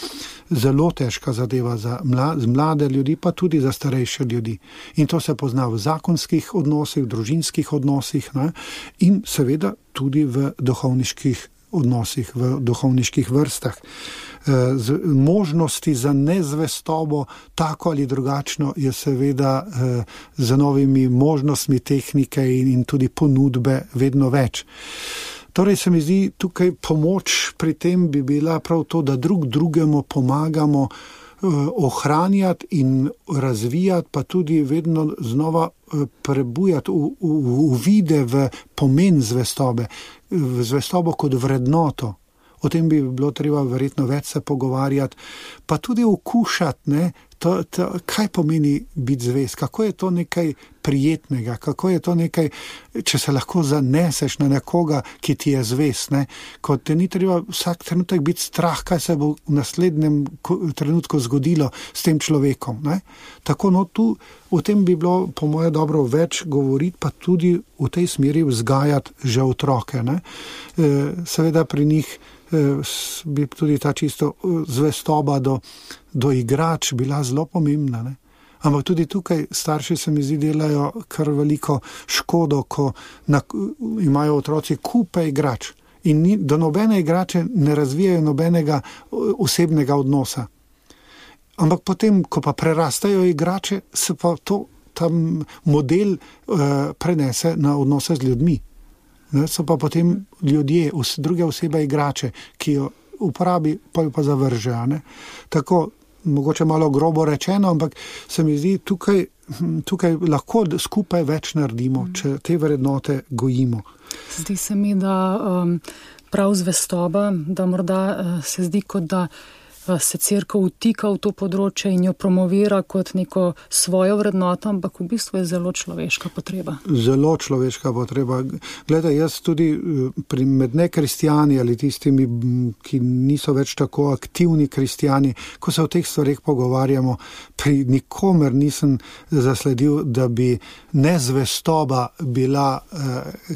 zelo težka zadeva za mlade ljudi, pa tudi za starejše ljudi. In to se pozna v zakonskih odnosih, v družinskih odnosih, ne, in seveda tudi v duhovniških odnosih, v duhovniških vrstah. Možnosti za nezvestobo, tako ali drugačno, je seveda z novimi možnostmi tehnike in tudi ponudbe vedno več. Torej se mi zdi tukaj pomoč pri tem bi bila prav to, da drugemu pomagamo ohranjati in razvijati, pa tudi vedno znova prebujati uvide v pomen zvestobe, v zvestobo kot vrednoto. O tem bi bilo treba verjetno več se pogovarjati, pa tudi okušati, ne, kaj pomeni biti zvest, kako je to nekaj prijetnega, kako je to nekaj, če se lahko zaneseš na nekoga, ki ti je zvest, ne, ko te ni treba vsak trenutek biti strah, kaj se bo v naslednjem trenutku zgodilo s tem človekom. Ne. Tako, no, tu o tem bi bilo po moje dobro več govoriti, pa tudi v tej smeri vzgajati že otroke. Ne. Seveda pri njih bi tudi ta čisto zvestoba do igrač bila zelo pomembna. Ne? Ampak tudi tukaj starši se mi zdi delajo kar veliko škodo, ko imajo otroci kupe igrač in do nobene igrače ne razvijajo nobenega osebnega odnosa. Ampak potem, ko pa prerastajo igrače, se pa ta model prenese na odnose z ljudmi. Ne, so pa potem ljudje, druge osebe igrače, ki jo uporabi, pa jo pa zavrže. Ne. Tako, mogoče malo grobo rečeno, ampak se mi zdi, tukaj lahko skupaj več naredimo, če te vrednote gojimo. Zdi se mi, da prav zvestoba, da morda se zdi, kot da se cerkev vtika v to področje in jo promovira kot neko svojo vrednoto, ampak v bistvu je zelo človeška potreba. Zelo človeška potreba. Gledaj, jaz tudi med nekristijani ali tistimi, ki niso več tako aktivni kristijani, ko se o teh stvareh pogovarjamo, pri nikomer nisem zasledil, da bi nezvestoba bila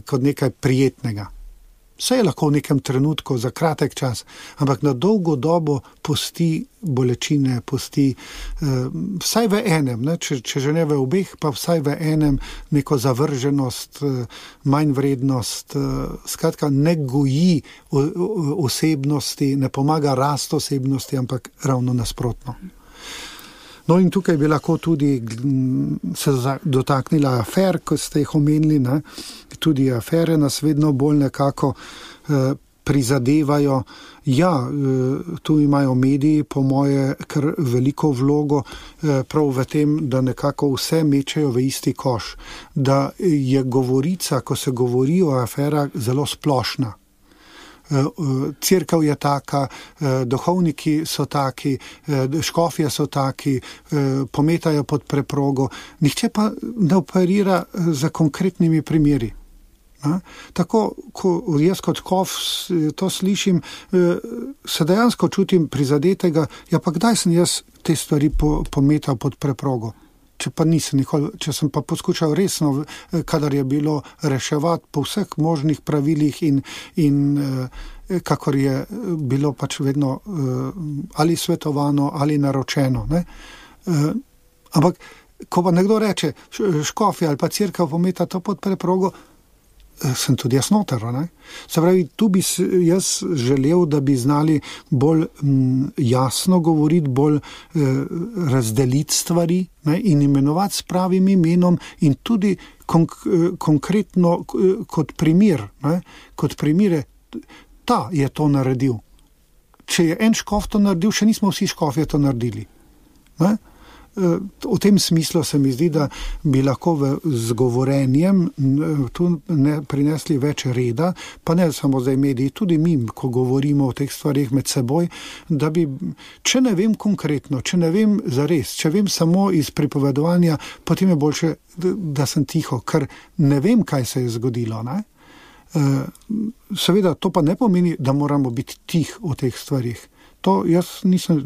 kot nekaj prijetnega. Vse je lahko v nekem trenutku, za kratek čas, ampak na dolgo dobo pusti bolečine, pusti vsaj v enem, ne? Če že ne v obeh, pa vsaj v enem neko zavrženost, manjvrednost, skratka ne goji osebnosti, ne pomaga rast osebnosti, ampak ravno nasprotno. No in tukaj bi lahko tudi se dotaknila afer, kot ste jih omenili, ne? Tudi afere nas vedno bolj nekako prizadevajo. Ja, tu imajo mediji po moje kar veliko vlogo prav v tem, da nekako vse mečejo v isti koš. Da je govorica, ko se govori o aferah, zelo splošna. Cerkev je taka, duhovniki so taki, škofje so taki, pometajo pod preprogo. Nihče pa ne operira za konkretnimi primeri. Tako, ko jaz kot škof to slišim, se dejansko čutim prizadetega, ja pa kdaj sem jaz te stvari pometal pod preprogo? Če pa nisem nikoli, če sem pa poskušal resno, kadar je bilo reševati po vseh možnih pravilih in kakor je bilo pač vedno ali svetovano ali naročeno. Ne? Ampak, ko pa nekdo reče, škofja ali pa cerkev pometa to pod preprogo, sem tudi jaz noter. Ne? Se pravi, tu bi jaz želel, da bi znali bolj jasno govoriti, bolj razdeliti stvari, ne? In imenovati s pravim imenom in tudi konkretno kot primer, ne? Kot primere, ta je to naredil. Če je en škof to naredil, še nismo vsi škofje to naredili. Ne? V tem smislu se mi zdi, da bi lahko z govorenjem tu prinesli več reda, pa ne samo zdaj mediji, tudi mi, ko govorimo o teh stvarih med seboj, da bi, če ne vem konkretno, če ne vem zares, če vem samo iz pripovedovanja, potem je boljše, da sem tiho, ker ne vem, kaj se je zgodilo. Ne? Seveda, to pa ne pomeni, da moramo biti tih o teh stvarih. To jaz nisem,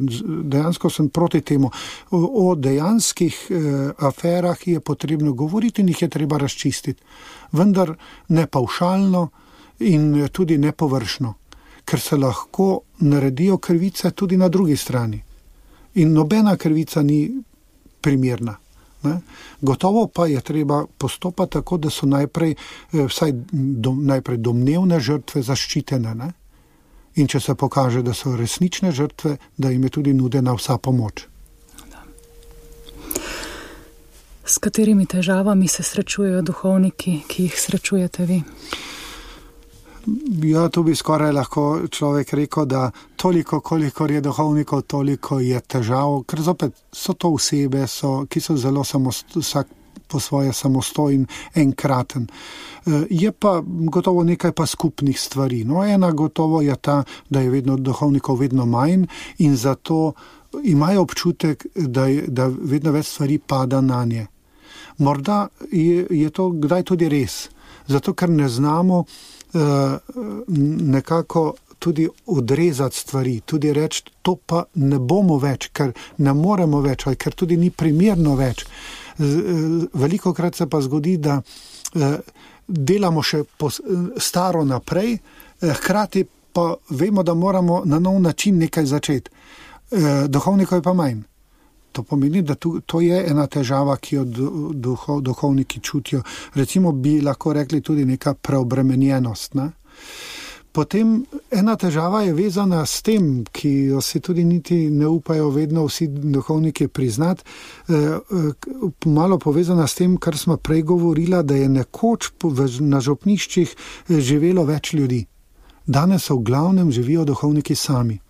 dejansko sem proti temu. O dejanskih aferah je potrebno govoriti in jih je treba razčistiti. Vendar ne pavšalno in tudi ne površno, ker se lahko naredijo krivice tudi na drugi strani. In nobena krivica ni primerna. Ne? Gotovo pa je treba postopati tako, da so najprej domnevne žrtve zaščitene. Ne? In če se pokaže, da so resnične žrtve, da jim je tudi nudena vsa pomoč. S katerimi težavami se srečujejo duhovniki, ki jih srečujete vi? Ja, tu bi skoraj lahko človek rekel, da toliko, kolikor je duhovnikov, toliko je težav, ker zopet so to osebe, ki so zelo vsak po svoje samostojen, enkraten. Je pa gotovo nekaj pa skupnih stvari. No, ena gotovo je ta, da je duhovnikov vedno manj in zato imajo občutek, da vedno več stvari pada na nje. Morda je to kdaj tudi res, zato ker ne znamo nekako tudi odrezati stvari, tudi reči, to pa ne bomo več, ker ne moremo več, ali ker tudi ni primerno več. Velikokrat se pa zgodi, da delamo še staro naprej, hkrati pa vemo, da moramo na nov način nekaj začeti. Duhovnikov je pa manj. To pomeni, da to je ena težava, ki jo duhovniki čutijo. Recimo bi lahko rekli tudi neka preobremenjenost. Ne? Potem ena težava je vezana s tem, ki jo si tudi niti ne upajo vedno vsi duhovniki priznati, malo povezana s tem, kar smo prej govorila, da je nekoč na župniščih živelo več ljudi. Danes v glavnem živijo duhovniki sami.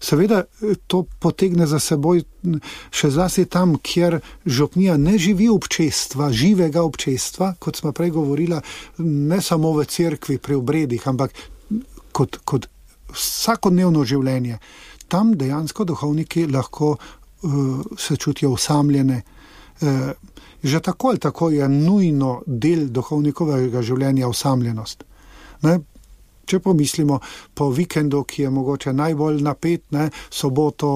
Seveda to potegne za seboj še zlasti tam, kjer župnija ne živi občestva, živega občestva, kot smo prej govorila, ne samo v cerkvi pri obredih, ampak kot vsakodnevno življenje. Tam dejansko duhovniki lahko se čutijo osamljene. Že tako ali tako je nujno del duhovnikovega življenja osamljenost. Ne? Če pomislimo po vikendu, ki je mogoče najbolj napet, ne? Soboto,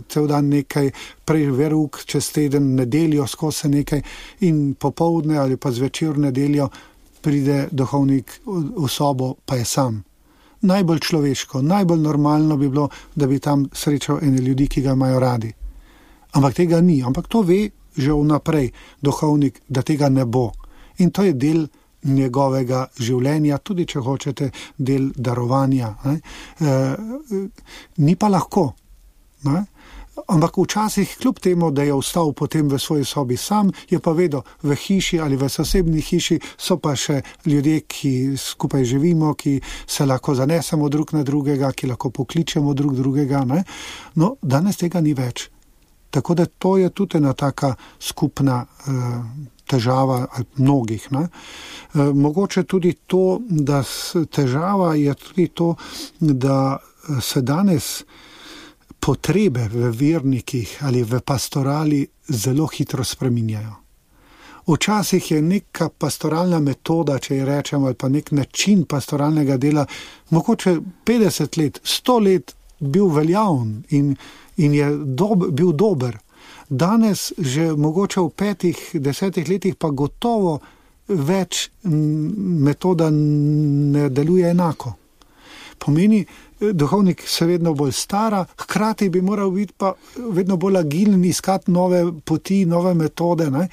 cel dan nekaj, prej verouk, čez teden, nedeljo skozi nekaj in popoldne ali pa zvečer nedeljo pride duhovnik v sobo, pa je sam. Najbolj človeško, najbolj normalno bi bilo, da bi tam srečal ene ljudi, ki ga imajo radi. Ampak tega ni, ampak to ve že vnaprej duhovnik, da tega ne bo. In to je del njegovega življenja, tudi če hočete, del darovanja. Ni pa lahko. Ne? Ampak včasih, kljub temu, da je ostal potem v svoji sobi sam, je pa vedel, v hiši ali v sosednji hiši so pa še ljudje, ki skupaj živimo, ki se lahko zanesemo drug na drugega, ki lahko pokličemo drug drugega. Ne? No, danes tega ni več. Tako da to je tudi ena taka skupna težava mnogih. Ne? Mogoče tudi to, da težava je tudi to, da se danes potrebe v vernikih ali v pastorali zelo hitro spreminjajo. Včasih je neka pastoralna metoda, če ji rečemo, ali pa nek način pastoralnega dela, mogoče 50 let, 100 let bil veljavn in je bil dober. Danes že mogoče v 5-10 letih pa gotovo več metoda ne deluje enako. Pomeni, duhovnik se vedno bolj stara, hkrati bi moral biti pa vedno bolj agilen, iskati nove poti, nove metode. Ne?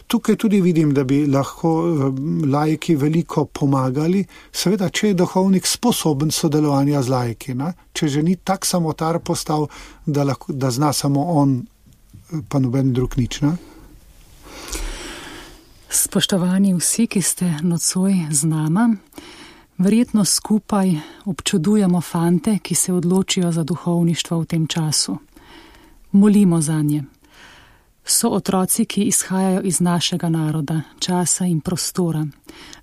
Tukaj tudi vidim, da bi lahko laiki veliko pomagali, seveda, če je duhovnik sposoben sodelovanja z laiki. Ne? Če že ni tak samotar postal, da zna samo on, pa noben drug nič. Ne? Spoštovani vsi, ki ste nocoj z nama, verjetno skupaj občudujemo fante, ki se odločijo za duhovništvo v tem času. Molimo zanje. So otroci, ki izhajajo iz našega naroda, časa in prostora.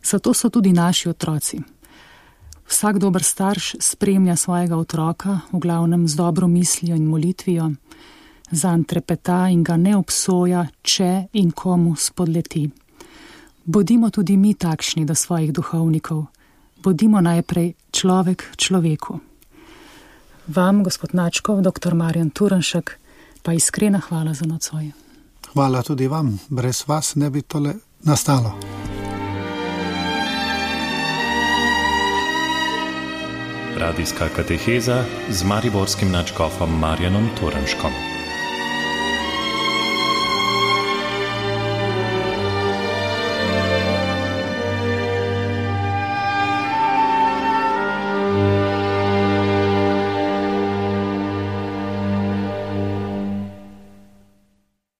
Zato so tudi naši otroci. Vsak dober starš spremlja svojega otroka, v glavnem z dobro mislijo in molitvijo, zanj trepeta in ga ne obsoja, če in komu spodleti. Bodimo tudi mi takšni do svojih duhovnikov. Bodimo najprej človek človeku. Vam, gospod Načkov, dr. Marjan Turnšek, pa iskrena hvala za nocoj. Hvala tudi vam. Brez vas ne bi tole nastalo. Radijska kateheza z mariborskim nadškofom Marjanom Turnškom.